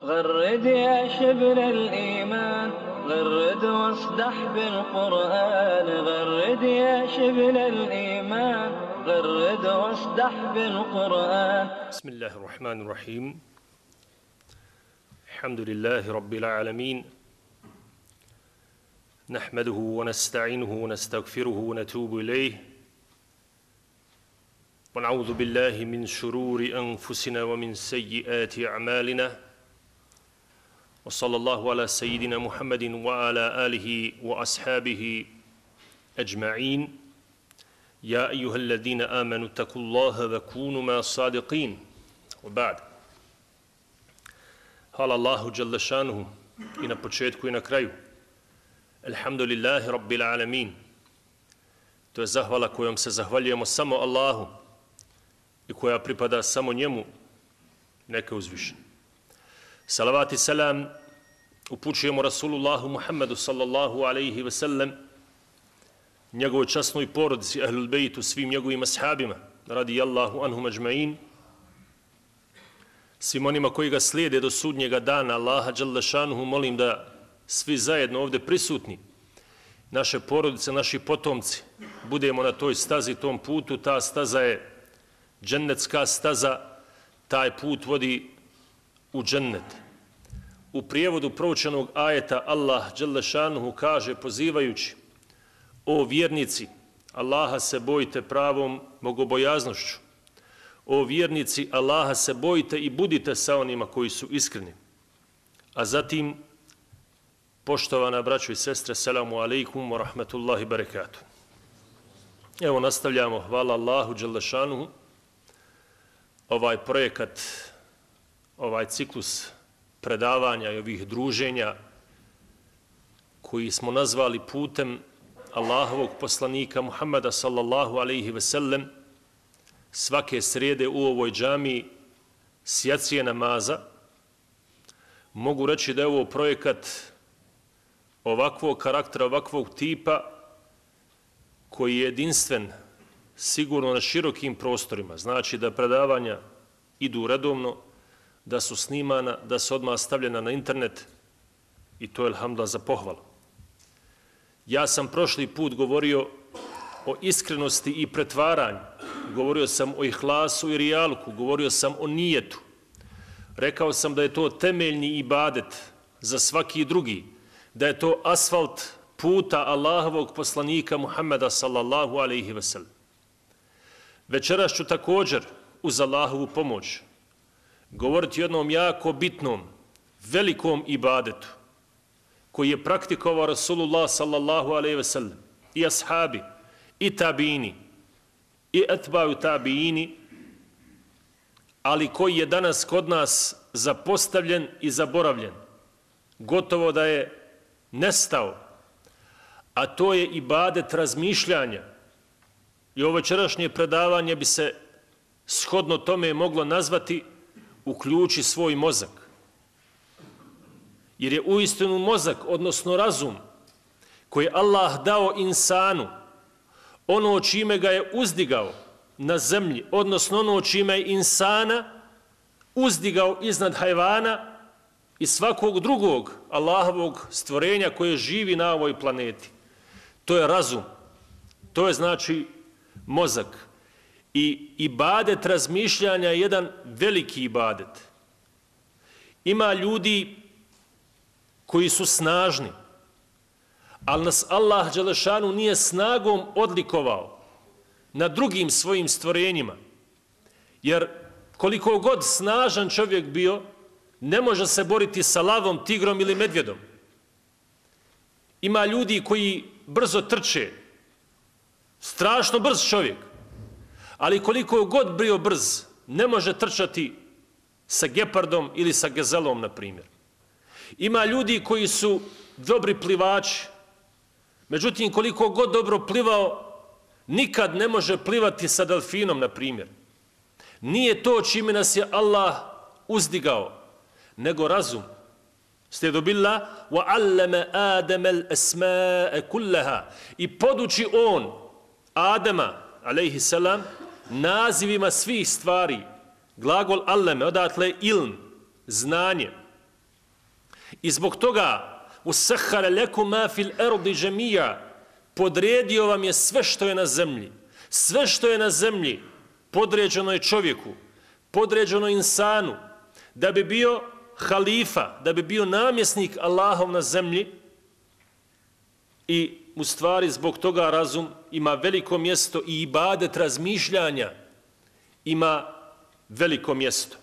غرد يا شبل الإيمان غرد واصدح بالقرآن غرد يا شبل الإيمان غرد واصدح بالقرآن. بسم الله الرحمن الرحيم. الحمد لله رب العالمين، نحمده ونستعينه ونستغفره ونتوب إليه، ونعوذ بالله من شرور أنفسنا ومن سيئات أعمالنا، وصلى الله على سيدنا محمد وعلى آله وأصحابه أجمعين. يا أيها الذين آمنوا اتقوا الله وكونوا مع الصادقين. وبعد. Hvala Allahu dželle šanuhu i na početku i na kraju. Alhamdulillahi rabbil alamin. To je zahvala kojom se zahvaljujemo samo Allahu i koja pripada samo njemu, neka uzvišen. Salavat i selam upućujemo Rasulullahu Muhammedu sallallahu alaihi ve sellem, njegovoj časnoj porodici, ahlul bejtu, svim njegovim ashabima, radijallahu anhum ajma'in, svim onima koji ga slijede do sudnjega dana. Allaha dželle šanuhu molim da svi zajedno ovdje prisutni, naše porodice, naši potomci, budemo na toj stazi, tom putu. Ta staza je džennetska staza, taj put vodi u džennet. U prijevodu proučenog ajeta Allah dželle šanuhu kaže, pozivajući: o vjernici, Allaha se bojite pravom bogobojaznošću. O vjernici, Allaha se bojite i budite sa onima koji su iskreni. A zatim, poštovana braćo i sestre, selamu alaikum wa rahmatullahi barakatuh. Evo nastavljamo, hvala Allahu dželle šanuhu, ovaj projekat, ovaj ciklus predavanja i ovih druženja koji smo nazvali putem Allahovog poslanika Muhammeda sallallahu alaihi ve sellem, svake srijede u ovoj džamiji s jacije namaza. Mogu reći da je ovo projekat ovakvog karaktera, ovakvog tipa koji je jedinstven sigurno na širokim prostorima. Znači da predavanja idu redovno, da su snimana, da su odmah stavljena na internet i to je alhamdulillah za pohvalu. Ja sam prošli put govorio o iskrenosti i pretvaranju, govorio sam o ihlasu i rijalku, govorio sam o nijetu. Rekao sam da je to temeljni ibadet za svaki drugi, da je to asfalt puta Allahovog poslanika Muhammeda sallallahu alaihi ve sellem. Večeras ću također uz Allahovu pomoć govoriti o jednom jako bitnom, velikom ibadetu koji je praktikovao Rasulullah sallallahu alaihi ve sellem i ashabi i tabiini i etbaju tabiini, ali koji je danas kod nas zapostavljen i zaboravljen. Gotovo da je nestao, a to je ibadet razmišljanja. I ovo večerašnje predavanje bi se shodno tome moglo nazvati uključi svoj mozak. Jer je uistinu mozak, odnosno razum, koji je Allah dao insanu, ono čime ga je uzdigao na zemlji, odnosno ono čime je insana uzdigao iznad hajvana i svakog drugog Allahovog stvorenja koje živi na ovoj planeti. To je razum. To je znači mozak. I ibadet razmišljanja je jedan veliki ibadet. Ima ljudi koji su snažni, ali nas Allah dželle šanuhu nije snagom odlikovao na drugim svojim stvorenjima. Jer koliko god snažan čovjek bio, ne može se boriti sa lavom, tigrom ili medvjedom. Ima ljudi koji brzo trče, strašno brz čovjek, ali koliko god bio brz, ne može trčati sa gepardom ili sa gazelom, na primjer. Ima ljudi koji su dobri plivači, međutim koliko god dobro plivao, nikad ne može plivati sa delfinom, na primjer. Nije to čime nas je Allah uzdigao, nego razum. Slijedu billah, وَعَلَّمَ آدَمَ الْأَسْمَاءَ كُلَّهَا, i poduči on Adama, alejhi selam, nazivima svih stvari. Glagol alleme, odatle ilm, znanje. I zbog toga usahhara lakum ma fil ardi jami'a, podredio vam je sve što je na zemlji. Sve što je na zemlji podređeno je čovjeku, podređeno insanu, da bi bio halifa, da bi bio namjesnik Allahov na zemlji. I u stvari zbog toga razum ima veliko mjesto i ibadet razmišljanja ima veliko mjesto.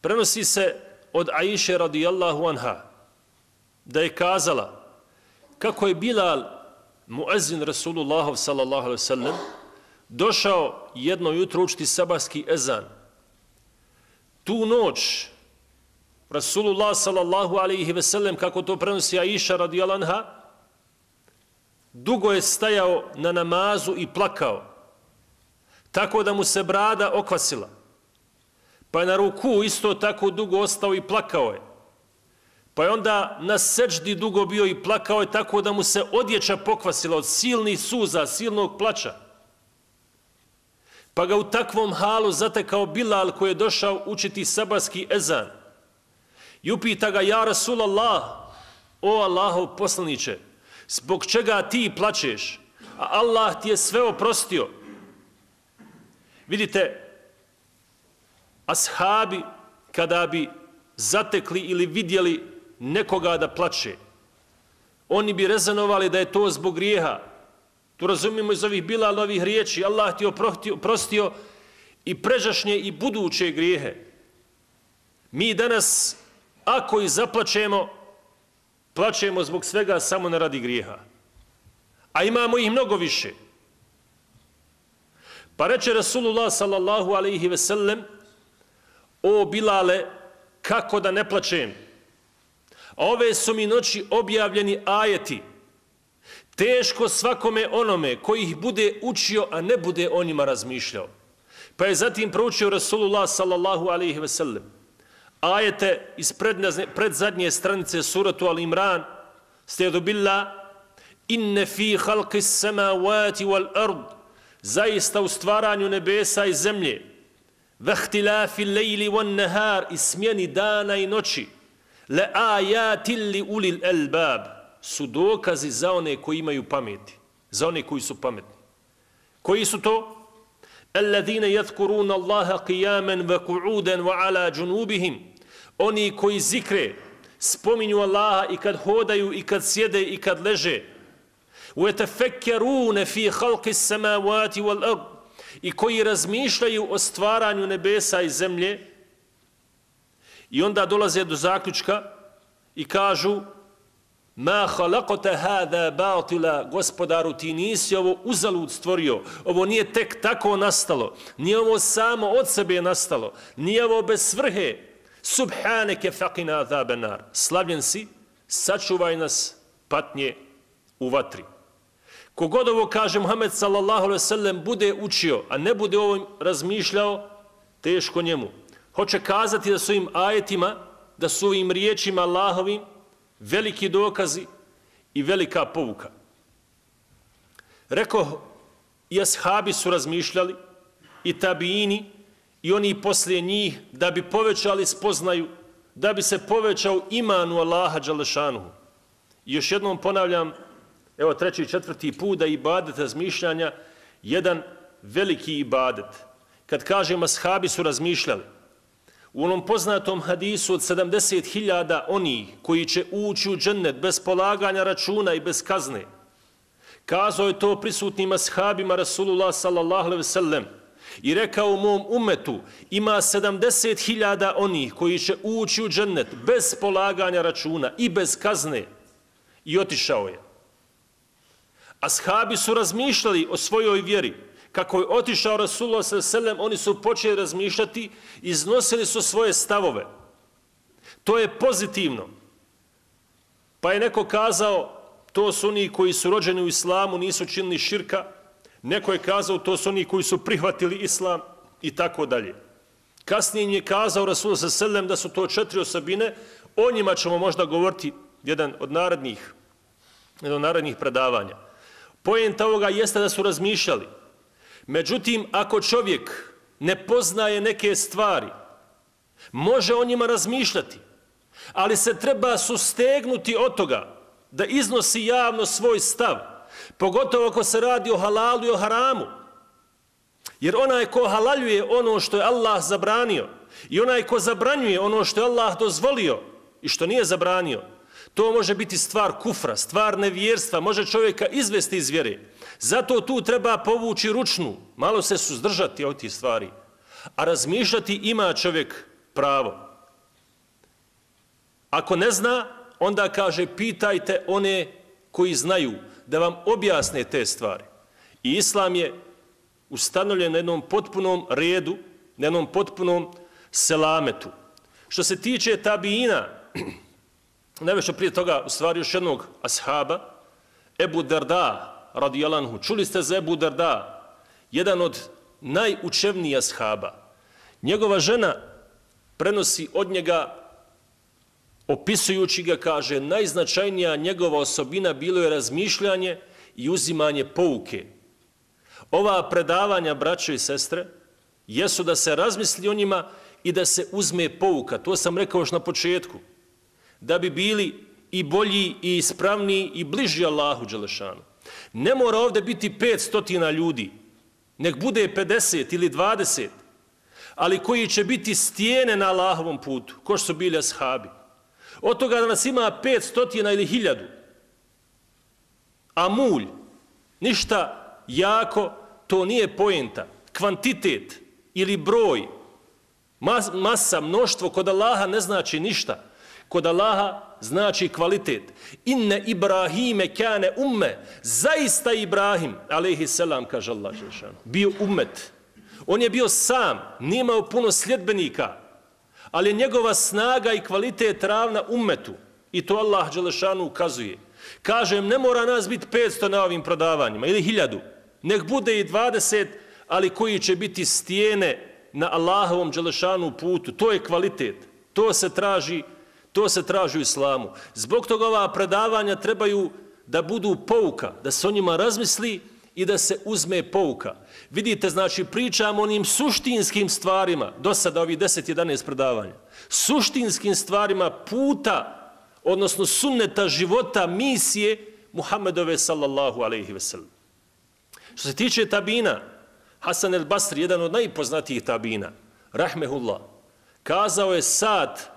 Prenosi se od Aiše radijallahu anha da je kazala kako je Bilal, muezin Rasulullahov sallallahu alaihi sallam, došao jedno jutro učiti sabahski ezan. Tu noć Rasulullah sallallahu alaihi ve sellem, kako to prenosi Aiša radijallahu anha, dugo je stajao na namazu i plakao, tako da mu se brada okvasila. Pa je na ruku isto tako dugo ostao i plakao je. Pa je onda na seđdi dugo bio i plakao je, tako da mu se odjeća pokvasila od silnih suza, silnog plača. Pa ga u takvom halu zatekao Bilal, koji je došao učiti sabahski ezan. I upita ga: ja Rasulallah, o Allahov poslaniče, zbog čega ti plačeš, a Allah ti je sve oprostio? Vidite, ashabi kada bi zatekli ili vidjeli nekoga da plače, oni bi rezonovali da je to zbog grijeha. Tu razumijemo iz ovih Bilalovih riječi: Allah ti je oprostio i pređašnje i buduće grijehe. Mi danas, ako i zaplačemo, plačemo zbog svega samo ne radi grijeha. A imamo ih mnogo više. Pa reče Rasulullah sallallahu alaihi ve sellem: o Bilale, kako da ne plačem? A ove su mi noći objavljeni ajeti. Teško svakome onome koji ih bude učio, a ne bude o njima razmišljao. Pa je zatim proučio Rasulullah sallallahu alaihi ve sellem ajete iz predzadnje stranice suratu Al-Imran: Sta'udhu billah, inne fi halqis samawati wal ard, zaista u stvaranju nebesa i zemlje, vahtilafi lejli wan nahar, i smjeni dana i noći, le ajatil li ulil albab, su dokazi za one koji imaju pameti, za one koji su pametni. Koji su to? Alladine yadhkuruna Allaha qiyaman wa qu'udan wa ala junubihim, oni koji zikre, spominju Allaha i kad hodaju i kad sjede i kad leže. وَيَتَفَكَّرُونَ فِي خَلْقِ السَّمَاوَاتِ وَالْأَرْضِ, i koji razmišljaju o stvaranju nebesa i zemlje. I onda dolaze do zaključka i kažu: ma khalaqta hada batila, gospodaru, ti nisi ovo uzalud stvorio, ovo nije tek tako nastalo, nije ovo samo od sebe nastalo, nije ovo bez svrhe. Subhaneke faqina azaban nar, slavljen si, sačuvaj nas patnje u vatri. Kogod ovo kaže Muhammed sallallahu alejhi ve sellem bude učio, a ne bude ovim razmišljao, teško njemu. Hoće kazati da su im ajetima, da su ovim riječima Allahovim veliki dokazi i velika pouka. Rekao, i ashabi su razmišljali, i tabiini, i oni poslije njih, da bi povećali spoznaju, da bi se povećao iman u Allaha dželešanuhu. I još jednom ponavljam, evo 3. i 4. put, da ibadet razmišljanja jedan veliki ibadet. Kad kažem ashabi su razmišljali, u onom poznatom hadisu od 70.000 onih koji će ući u džennet bez polaganja računa i bez kazne, kazao je to prisutnim ashabima Rasulullah sallallahu alejhi ve sellem i rekao: u mom umetu ima 70.000 onih koji će ući u džennet bez polaganja računa i bez kazne. I otišao je. Ashabi su razmišljali o svojoj vjeri. Kako je otišao Rasulullah sallallahu alejhi ve sellem, oni su počeli razmišljati, iznosili su svoje stavove. To je pozitivno. Pa je neko kazao: to su oni koji su rođeni u islamu, nisu činili širka. Neko je kazao: to su oni koji su prihvatili islam, i tako dalje. Kasnije im je kazao Rasulullah sallallahu alejhi ve sellem da su to 4 osobine. O njima ćemo možda govoriti jedan od narednih predavanja. Poenta ovoga jeste da su razmišljali. Međutim, ako čovjek ne poznaje neke stvari, može o njima razmišljati, ali se treba sustegnuti od toga da iznosi javno svoj stav, pogotovo ako se radi o halalu i o haramu. Jer onaj ko halaljuje ono što je Allah zabranio i onaj ko zabranjuje ono što je Allah dozvolio i što nije zabranio, to može biti stvar kufra, stvar nevjerstva, može čovjeka izvesti iz vjere. Zato tu treba povući ručnu, malo se suzdržati od tih stvari, a razmišljati ima čovjek pravo. Ako ne zna, onda kaže pitajte one koji znaju da vam objasne te stvari. I Islam je ustanovljen na jednom potpunom redu, na jednom potpunom selametu. Što se tiče tabiina, najviše prije toga, u stvari još jednog ashaba, Ebu Darda, radijallahu anhu. Čuli ste za Ebu Darda, jedan od najučevnijih ashaba. Njegova žena prenosi od njega, opisujući ga, kaže, najznačajnija njegova osobina bilo je razmišljanje i uzimanje pouke. Ova predavanja, braćo i sestre, jesu da se razmisli o njima i da se uzme pouka. To sam rekao još na početku. Da bi bili i bolji i ispravniji i bliži Allahu dželešanu. Ne mora ovdje biti 500 ljudi, nek bude 50 ili 20, ali koji će biti stijene na Allahovom putu, ko što su bili ashabi. Od toga da nas ima 500 ili 1000, a mulj, ništa jako, to nije poenta. Kvantitet ili broj, masa, mnoštvo, kod Allaha ne znači ništa. Kod Allaha znači kvalitet. Inne Ibrahime kane umme. Zaista Ibrahim, alejhi selam, kaže Allah, bio ummet. On je bio sam, nije imao puno sljedbenika, ali je njegova snaga i kvalitet ravna ummetu. I to Allah dželešanu ukazuje. Kažem, ne mora nas biti 500 na ovim prodavanjima, ili 1000. Nek bude i 20, ali koji će biti stijene na Allahovom dželešanu putu. To je kvalitet. To se traži u islamu. Zbog toga ova predavanja trebaju da budu pouka, da se o njima razmisli i da se uzme pouka. Vidite, znači, pričamo o onim suštinskim stvarima, do sada ovih 10-11 predavanja, suštinskim stvarima puta, odnosno sunneta života, misije Muhammedove sallallahu alejhi ve sellem. Što se tiče tabina, Hasan el Basri, jedan od najpoznatijih tabina, rahmehullah, kazao je sat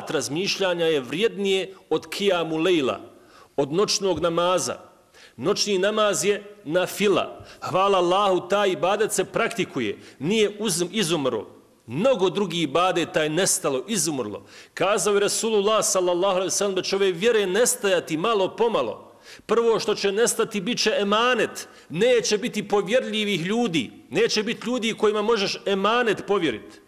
razmišljanja je vrijednije od kijamu lejla, od noćnog namaza. Noćni namaz je nafila. Hvala Allahu, taj ibadet se praktikuje, nije izumro. Mnogo drugih ibadeta je nestalo, izumrlo. Kazao je Rasulullah sallallahu alejhi ve sellem da će ove vjere nestajati malo pomalo. Prvo što će nestati bit će emanet. Neće biti povjerljivih ljudi. Neće biti ljudi kojima možeš emanet povjeriti.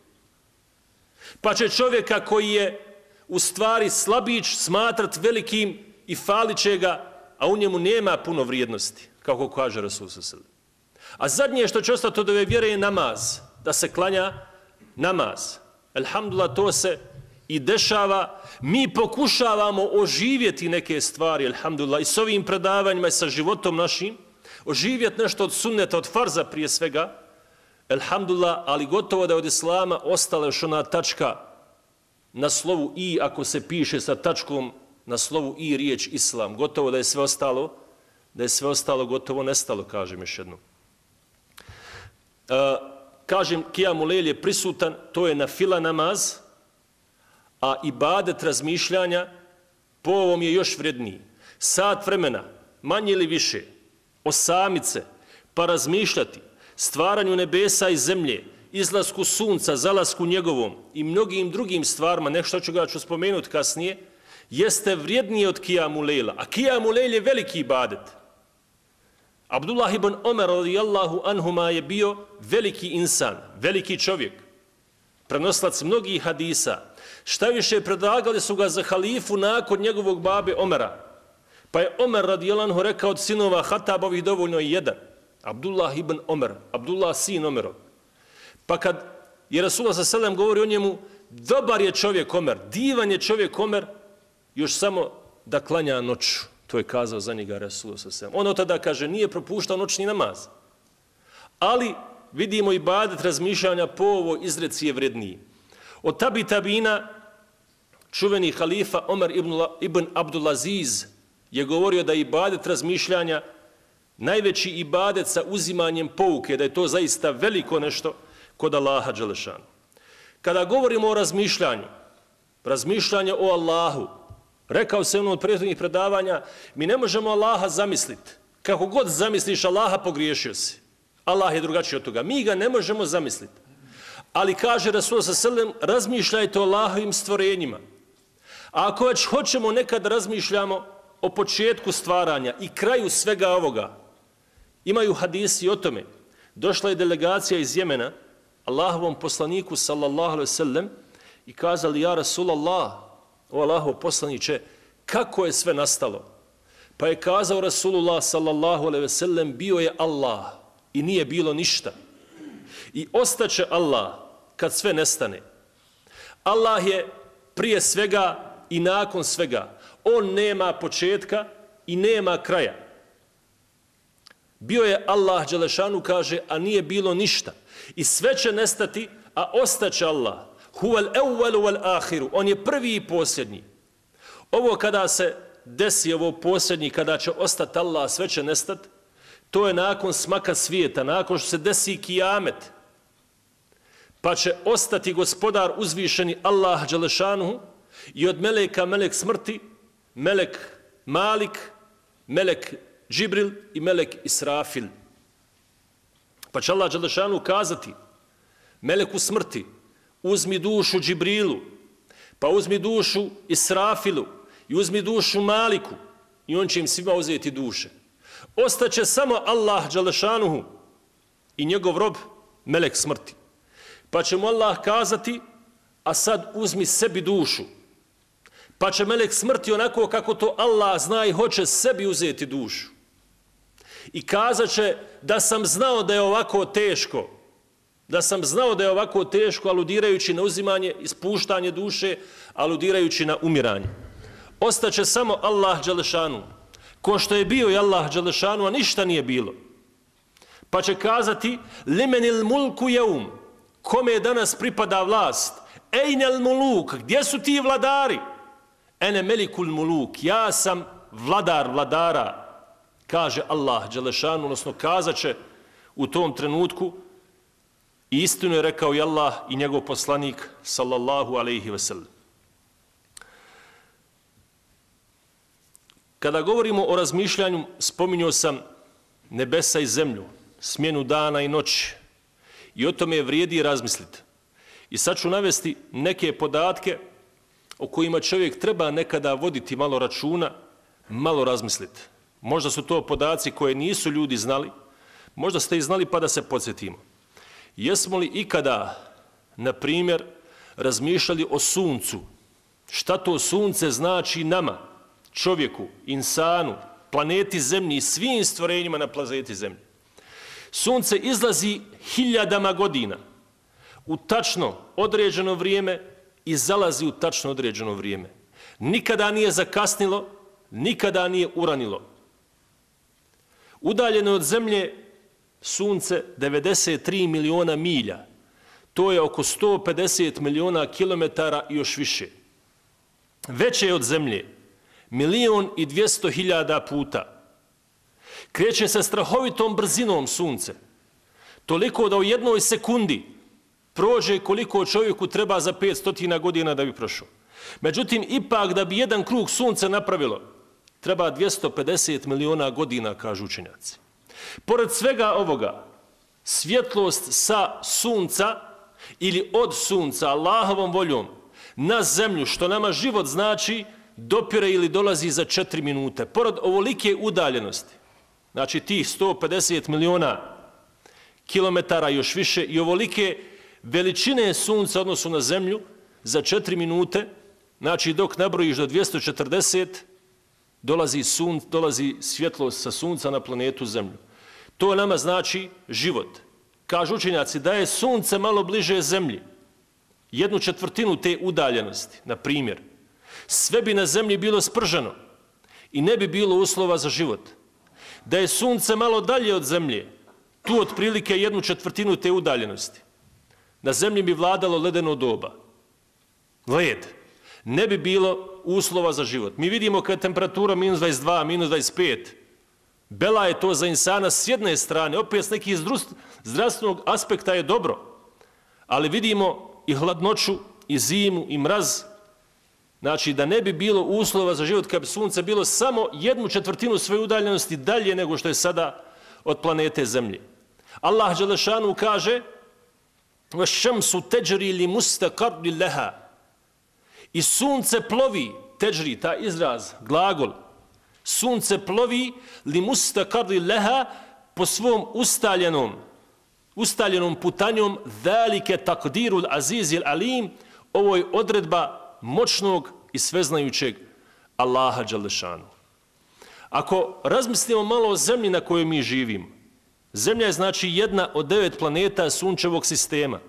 Pa će čovjeka koji je u stvari slabić smatrat velikim i falit će ga, a u njemu nema puno vrijednosti, kako kaže Rasul sallallahu alejhi ve sellem. A zadnje što će ostati od ove vjere je namaz. Da se klanja namaz. Elhamdulillah, to se i dešava. Mi pokušavamo oživjeti neke stvari, elhamdulillah, i s ovim predavanjima i sa životom našim, oživjeti nešto od sunneta, od farza prije svega, elhamdulillah, ali gotovo da je od islama ostala još ona tačka na slovu i, ako se piše sa tačkom na slovu i riječ islam, gotovo da je sve ostalo gotovo nestalo, kažem još jednom. Kažem, kijamu lejl je prisutan, to je nafila namaz, a ibadet razmišljanja po ovom je još vredniji. Sat vremena, manje ili više, osamice, pa razmišljati, stvaranju nebesa i zemlje, izlasku sunca, zalasku njegovom i mnogim drugim stvarima, nešto ću spomenuti kasnije, jeste vrijednije od kijamu lejla. A kijamu lejl je veliki ibadet. Abdullah ibn Omer radijallahu anhuma je bio veliki insan, veliki čovjek, prenoslac mnogih hadisa. Šta više, predlagali su ga za halifu nakon njegovog babe Omera. Pa je Omer radijallahu anhu rekao od sinova Hatabovih dovoljno je jedan. Abdullah ibn Omer, Abdullah sin Omerov. Pa kad je Rasulullah sallallahu alejhi ve sellem govori o njemu, dobar je čovjek Omer, divan je čovjek Omer, još samo da klanja noću. To je kazao za njega Rasulullah sallallahu alejhi ve sellem. On od tada, kaže, nije propuštao noćni namaz. Ali vidimo ibadet razmišljanja po ovoj izreci je vredniji. Od tabina čuveni halifa Omer ibn Abdulaziz je govorio da je ibadet razmišljanja najveći ibadet sa uzimanjem pouke, da je to zaista veliko nešto kod Allaha dželešanu. Kada govorimo o razmišljanje o Allahu, rekao sam od prethodnih predavanja, mi ne možemo Allaha zamisliti. Kako god zamisliš Allaha, pogriješio si. Allah je drugačiji od toga. Mi ga ne možemo zamisliti. Ali kaže Rasul sallallahu, razmišljajte o Allahovim stvorenjima. A ako već hoćemo nekad razmišljamo o početku stvaranja i kraju svega ovoga, imaju hadisi o tome. Došla je delegacija iz Jemena, Allahovom poslaniku sallallahu alejhi ve sellem i kazali: ja Rasulallah, o Allahov poslaniče, kako je sve nastalo? Pa je kazao Rasulullah sallallahu alejhi ve sellem: bio je Allah i nije bilo ništa. I ostaće Allah kad sve nestane. Allah je prije svega i nakon svega. On nema početka i nema kraja. Bio je Allah dželešanu, kaže, a nije bilo ništa. I sve će nestati, a ostaće Allah. Huvel evvelu vel ahiru. On je prvi i posljednji. Ovo kada se desi, ovo posljednji, kada će ostati Allah, sve će nestati, to je nakon smaka svijeta, nakon što se desi kijamet. Pa će ostati gospodar uzvišeni Allah dželešanu i od meleka melek smrti, melek Malik, melek Džibril i melek Israfil. Pa će Allah dželešanu kazati meleku smrti: uzmi dušu Džibrilu, pa uzmi dušu Israfilu i uzmi dušu Maliku, i on će im svima uzeti duše. Ostaće samo Allah dželešanuhu i njegov rob melek smrti. Pa će mu Allah kazati: a sad uzmi sebi dušu. Pa će melek smrti onako kako to Allah zna i hoće sebi uzeti dušu. I kazat će: da sam znao da je ovako teško, da sam znao da je ovako teško, aludirajući na uzimanje, ispuštanje duše, aludirajući na umiranje. Ostaće samo Allah dželešanu, ko što je bio i Allah dželešanu, a ništa nije bilo. Pa će kazati: limenil mulku jeum, kome danas pripada vlast? Ejnel muluk, gdje su ti vladari? Ene melikul muluk, ja sam vladar vladara, kaže Allah dželešanu, odnosno kazat će u tom trenutku, i istinu je rekao i Allah i njegov poslanik sallallahu alejhi ve sellem. Kada govorimo o razmišljanju, spominjao sam nebesa i zemlju, smjenu dana i noći, i o tome vrijedi razmisliti. I sad ću navesti neke podatke o kojima čovjek treba nekada voditi malo računa, malo razmisliti. Možda su to podaci koje nisu ljudi znali, možda ste ih znali pa da se podsjetimo. Jesmo li ikada, na primjer, razmišljali o suncu? Šta to sunce znači nama, čovjeku, insanu, planeti Zemlji i svim stvorenjima na planeti Zemlji? Sunce izlazi hiljadama godina u tačno određeno vrijeme i zalazi u tačno određeno vrijeme. Nikada nije zakasnilo, nikada nije uranilo. Udaljeno od Zemlje sunce 93 miliona milja. To je oko 150 miliona kilometara i još više. Veće je od Zemlje 1.200.000 puta. Kreće se strahovitom brzinom sunce. Toliko da u jednoj sekundi prođe koliko čovjeku treba za 500 godina da bi prošao. Međutim, ipak da bi jedan krug sunca napravilo, treba 250 miliona godina, kažu učenjaci. Pored svega ovoga, svjetlost sa sunca ili od sunca, Allahovom voljom, na zemlju, što nama život znači, dopire ili dolazi za 4 minute. Pored ovolike udaljenosti, znači tih 150 miliona kilometara još više i ovolike veličine sunca odnosu na zemlju, za 4 minute, znači dok nabrojiš do 240, dolazi svjetlost sa sunca na planetu Zemlju. To nama znači život. Kažu učenjaci da je sunce malo bliže Zemlji, 1/4 te udaljenosti, na primjer, sve bi na Zemlji bilo sprženo i ne bi bilo uslova za život. Da je sunce malo dalje od Zemlje, tu otprilike 1/4 te udaljenosti, na zemlji bi vladalo ledeno doba. Led. Ne bi bilo uslova za život. Mi vidimo kad je temperatura -22, -25, bela je to za insana s jedne strane, opet s nekih zdravstvenog aspekta je dobro, ali vidimo i hladnoću, i zimu, i mraz. Znači da ne bi bilo uslova za život kad bi sunce bilo samo 1/4 svoje udaljenosti dalje nego što je sada od planete Zemlje. Allah dželešanu kaže: "Vaš-šamsu teđri li mustaqarrin laha." I sunce plovi, teđri, taj izraz, glagol, sunce plovi li mustaqarrin laha, po svom ustaljenom putanjom, zalike takdirul azizil alim, ovo je odredba moćnog i sveznajućeg Allaha dželešanu. Ako razmislimo malo o zemlji na kojoj mi živimo, Zemlja je znači jedna od 9 planeta sunčevog sistema.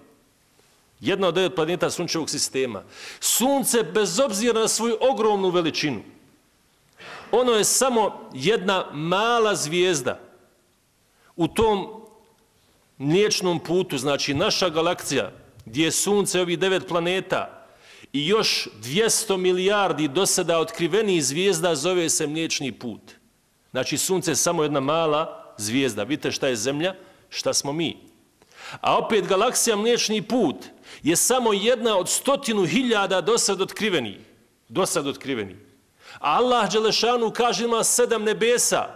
Jedna od 9 planeta sunčevog sistema. Sunce, bez obzira na svoju ogromnu veličinu, ono je samo jedna mala zvijezda u tom mliječnom putu, znači naša galaksija, gdje je sunce ovih 9 planeta i još 200 milijardi do sada otkrivenih zvijezda, zove se mliječni put. Znači sunce je samo jedna mala zvijezda. Vidite šta je Zemlja, šta smo mi. A opet galaksija mliječni put je samo jedna od 100.000 do sad otkrivenih. A Allah dželešanu kaže ima 7 nebesa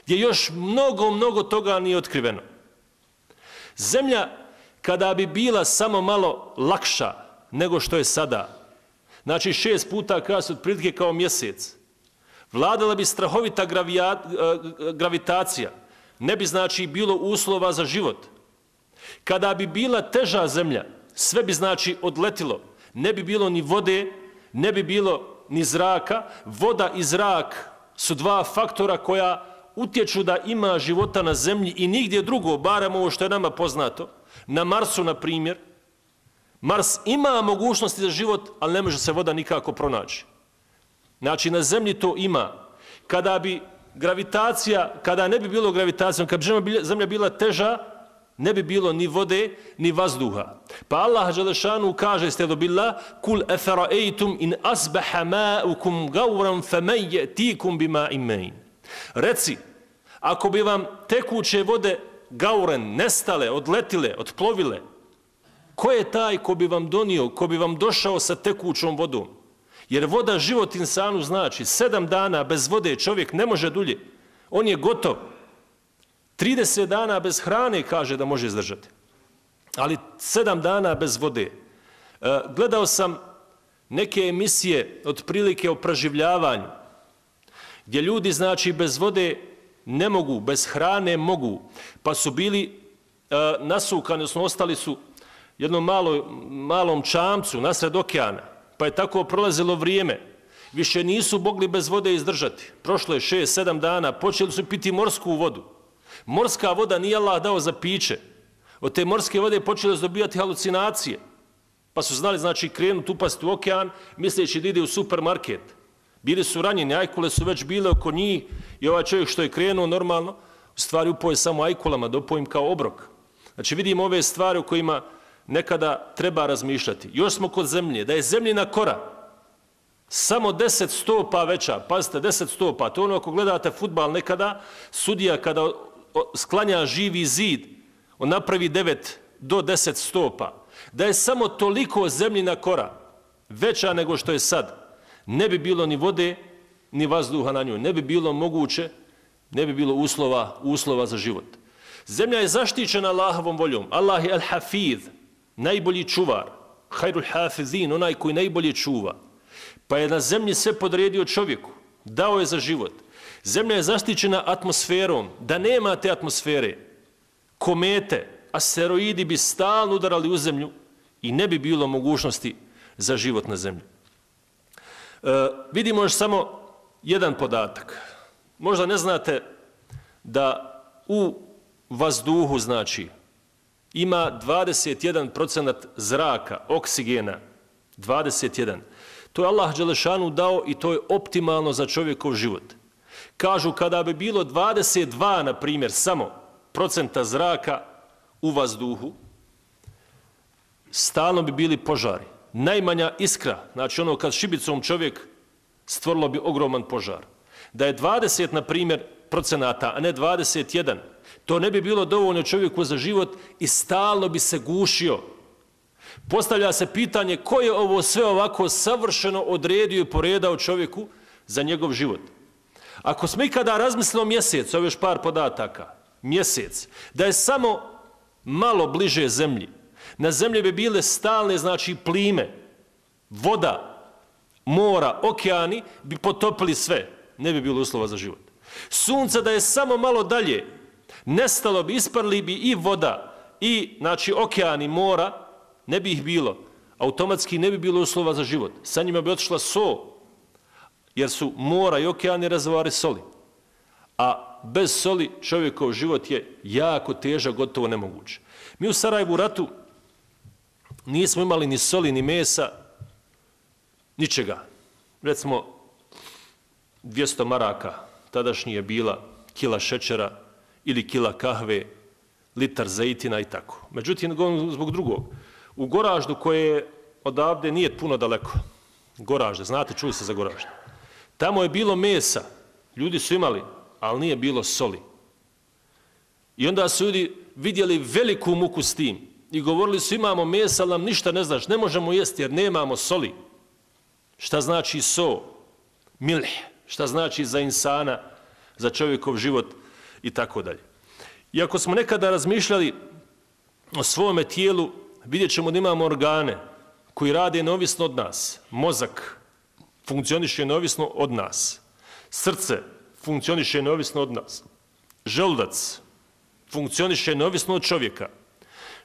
gdje još mnogo toga nije otkriveno. Zemlja kada bi bila samo malo lakša nego što je sada, znači 6 puta kas otprilike kao mjesec, vladala bi strahovita gravitacija, ne bi znači bilo uslova za život. Kada bi bila teža zemlja, sve bi znači odletilo, ne bi bilo ni vode, ne bi bilo ni zraka. Voda i zrak su dva faktora koja utječu da ima života na zemlji i nigdje drugo, barem ovo što je nama poznato. Na Marsu, na primjer, Mars ima mogućnosti za život, ali ne može se voda nikako pronaći. Znači, na zemlji to ima. Kada ne bi bilo gravitacijom, kada bi zemlja bila teža, ne bi bilo ni vode, ni vazduha. Pa Allah dželešanu kaže, stedo billah, kul efara'ejtum in asbaha ma'ukum gauran faman ya'tikum bima imain. Reci, ako bi vam tekuće vode gauren nestale, odletile, otplovile, ko je taj ko bi vam donio, ko bi vam došao sa tekućom vodom? Jer voda život insanu znači 7 dana bez vode čovjek ne može dulje. On je gotov. 30 dana bez hrane kaže da može izdržati. Ali 7 dana bez vode. Gledao sam neke emisije otprilike o preživljavanju, gdje ljudi znači bez vode ne mogu, bez hrane mogu, pa su bili nasukani, odnosno ostali su jednom malom čamcu nasred okeana, pa je tako prolazilo vrijeme. Više nisu mogli bez vode izdržati. Prošlo je 6-7 dana, počeli su piti morsku vodu. Morska voda nije Allah dao za piće. Od te morske vode počeli su dobijati halucinacije. Pa su znali, znači, krenuti upasti u okean, misleći da ide u supermarket. Bili su ranjeni, ajkule su već bile oko njih i ovaj čovjek što je krenuo normalno, u stvari upoje samo ajkulama, da upojim kao obrok. Znači, vidimo ove stvari o kojima nekada treba razmišljati. Još smo kod zemlje, da je zemljina kora samo 10 stopa veća, pazite, 10 stopa, to ono ako gledate fudbal nekada, sudija kada sklanja živi zid, on napravi 9 do 10 stopa. Da je samo toliko zemljina kora veća nego što je sad, ne bi bilo ni vode, ni vazduha na njoj, ne bi bilo moguće, ne bi bilo uslova za život. Zemlja je zaštićena Allahovom voljom. Allah je al-Hafiz, najbolji čuvar, hajrul hafizin, onaj koji najbolje čuva. Pa je na zemlji sve podredio čovjeku, dao je za život. Zemlja je zaštićena atmosferom. Da nema te atmosfere, komete, asteroidi bi stalno udarali u zemlju i ne bi bilo mogućnosti za život na zemlji. Vidimo još samo jedan podatak. Možda ne znate da u vazduhu, znači, ima 21% zraka, oksigena, 21%. To je Allah dželešanu dao i to je optimalno za čovjekov život. Kažu kada bi bilo 22, na primjer, samo procenta zraka u vazduhu, stalno bi bili požari. Najmanja iskra, znači ono kad šibicom čovjek, stvorilo bi ogroman požar. Da je 20, na primjer, procenata, a ne 21, to ne bi bilo dovoljno čovjeku za život i stalno bi se gušio. Postavlja se pitanje ko je ovo sve ovako savršeno odredio i poredao čovjeku za njegov život. Ako smo ikada razmislili o mjesecu, ovo još par podataka, mjesec, da je samo malo bliže zemlji, na zemlji bi bile stalne, znači plime, voda, mora, okeani bi potopili sve, ne bi bilo uslova za život. Sunce da je samo malo dalje, nestalo bi, isparili bi i voda, i znači okeani, mora, ne bi ih bilo. Automatski ne bi bilo uslova za život. Sa njima bi otišla so, jer su mora i okeani rezervoari soli. A bez soli čovjekov život je jako težak, gotovo nemoguće. Mi u Sarajevu ratu nismo imali ni soli, ni mesa, ničega. Recimo, 200 maraka tadašnji je bila kila šećera ili kila kahve, litar zejtina i tako. Međutim, zbog drugog, u Goraždu koje odavde nije puno daleko, Goražde, znate, čuli se za Goražde, tamo je bilo mesa, ljudi su imali, ali nije bilo soli. I onda su ljudi vidjeli veliku muku s tim i govorili su imamo mesa, ali nam ništa ne znaš, ne možemo jesti jer nemamo soli. Šta znači so, milh, šta znači za insana, za čovjekov život i tako dalje. I ako smo nekada razmišljali o svome tijelu, vidjet ćemo da imamo organe koji rade neovisno od nas. Mozak funkcioniše neovisno od nas. Srce funkcioniše neovisno od nas. Želudac funkcioniše neovisno od čovjeka.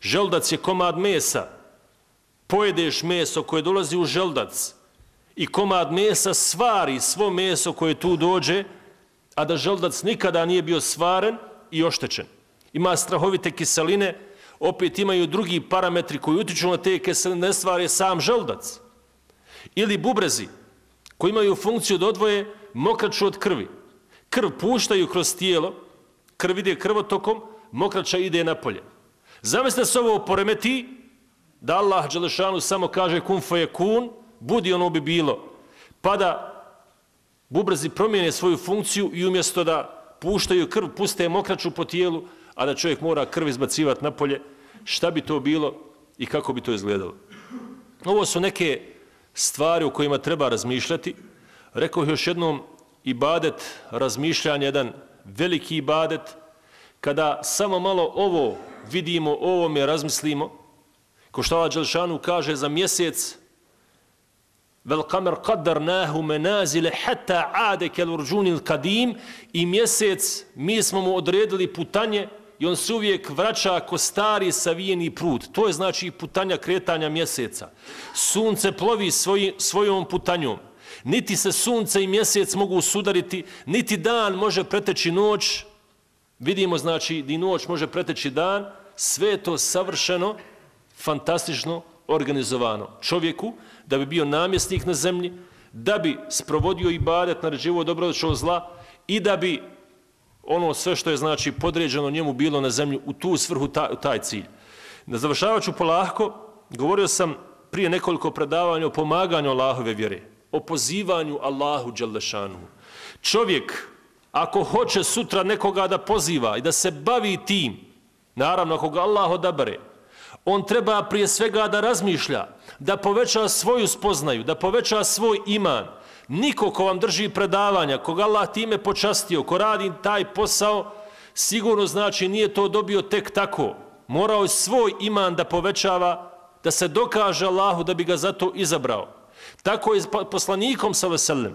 Želudac je komad mesa. Pojedeš meso koje dolazi u želudac i komad mesa svari svo meso koje tu dođe, a da želudac nikada nije bio svaren i oštećen. Ima strahovite kiseline, opet imaju drugi parametri koji utiču na te kiseline, ne stvare sam želudac. Ili bubrezi, koji imaju funkciju da odvoje mokraću od krvi. Krv puštaju kroz tijelo, krv ide krvotokom, mokraća ide napolje. Zamislite se ovo poremeti, da Allah dželešanu samo kaže kun fayakun, budi ono bi bilo. Pa da bubrezi promijene svoju funkciju i umjesto da puštaju krv, puste mokraću po tijelu, a da čovjek mora krv izbacivati napolje, šta bi to bilo i kako bi to izgledalo. Ovo su neke stvari o kojima treba razmišljati. Rekao još jednom, ibadet, razmišljanje, jedan veliki ibadet, kada samo malo ovo vidimo, o ovome razmislimo, ko što Allah dželešanu kaže za mjesec, vel kamer qaddarnahu menazile hatta ade kel urđunil kadim, i mjesec mi smo mu odredili putanje i on se uvijek vraća ko stari savijeni prut. To je znači putanja kretanja mjeseca. Sunce plovi svojom putanjom. Niti se sunce i mjesec mogu sudariti, niti dan može preteći noć. Vidimo znači da i noć može preteći dan. Sve je to savršeno, fantastično organizovano čovjeku da bi bio namjesnik na zemlji, da bi sprovodio ibadet, naređivao dobro od zla i da bi ono sve što je znači podređeno njemu bilo na zemlji u tu svrhu, taj cilj. Završavat ću polako, govorio sam prije nekoliko predavanja o pomaganju Allahove vjere, o pozivanju Allahu dželešanu. Čovjek, ako hoće sutra nekoga da poziva i da se bavi tim, naravno ako ga Allah odabere, on treba prije svega da razmišlja, da poveća svoju spoznaju, da poveća svoj iman. Niko ko vam drži predavanja, koga Allah time počastio, ko radi taj posao, sigurno znači nije to dobio tek tako. Morao je svoj iman da povećava, da se dokaže Allahu da bi ga zato izabrao. Tako je poslanikom s.a.v.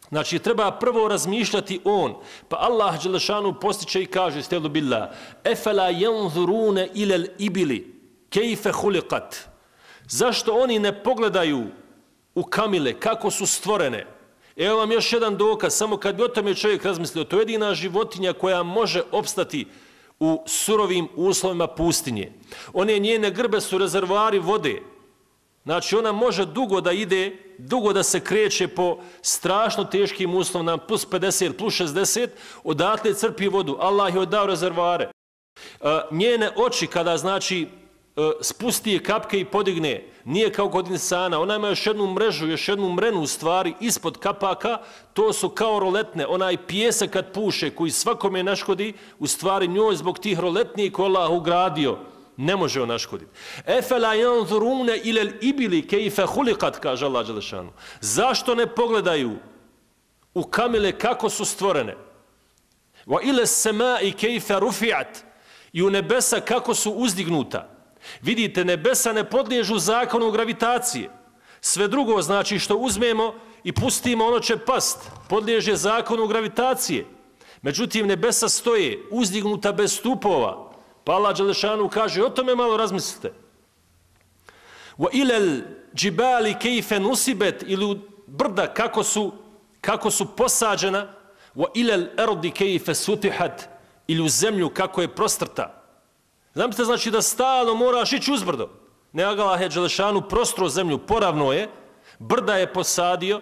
Znači treba prvo razmišljati on, pa Allah dželešanu postiče i kaže stelu billah, efela yanzuruna ila al-ibili kejfe huliqat. Zašto oni ne pogledaju u kamile, kako su stvorene? Evo vam još jedan dokaz, samo kad bi o tome čovjek razmislio, to je jedina životinja koja može opstati u surovim uslovima pustinje. One njene grbe su rezervoari vode. Znači ona može dugo da ide, dugo da se kreće po strašno teškim uslovima, plus 50, plus 60, odatle crpi vodu. Allah je dao rezervoare. Njene oči kada znači spusti je kapke i podigne, nije kao kod insana, ona ima još jednu mrežu, još jednu mrenu u stvari ispod kapaka, to su kao roletne, onaj pijesak kad puše koji svakome naškodi, u stvari njoj zbog tih roletniji koje Allah ugradio, ne može on naškoditi. Efela yanzuruna ila al-ibili kayfa khuliqat, kaže Allah dželle šanu. Zašto ne pogledaju u kamile kako su stvorene? Wa ila as-sama'i kayfa rufi'at, i u nebesa kako su uzdignuta. Vidite, nebesa ne podliježu zakonu gravitacije. Sve drugo znači što uzmemo i pustimo, ono će past. Podliježe zakonu gravitacije. Međutim, nebesa stoje uzdignuta bez stupova. Pa Allah dželešanu kaže, o tome malo razmislite. Wa ilal džibali kejfe nusibet, ili brda kako su posađena. Wa ilal erdi kejfe sutihat, ili u zemlju kako je prostrta. Znate, znači da stalno moraš ići uzbrdo. Ne, Allah je dželešanu prostro zemlju, poravno je, brda je posadio.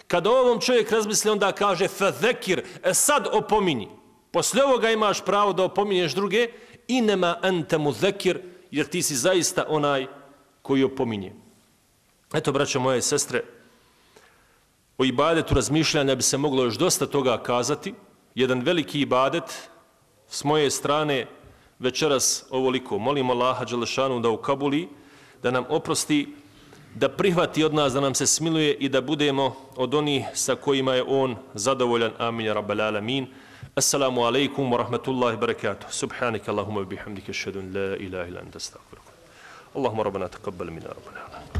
Kada ovom čovjek razmisli, onda kaže fazekir, sad opominji. Poslije ovoga imaš pravo da opominješ druge, inema ente muzekir, jer ti si zaista onaj koji opominje. Eto, braćo moje sestre, o ibadetu razmišljanja bi se moglo još dosta toga kazati. Jedan veliki ibadet s moje strane večeras ovoliko. Molim Allaha dželešanu da ukabuli, da nam oprosti, da prihvati od nas, da nam se smiluje i da budemo od onih sa kojima je on zadovoljan. Amin ya rabbal alamin. Assalamu alaikum wa rahmatullahi wa barakatuh. Subhanaka Allahumma bihamdika ashhadu an la ilaha illa anta astaghfiruka. Allahumma rabbana taqabbal minna rabbana.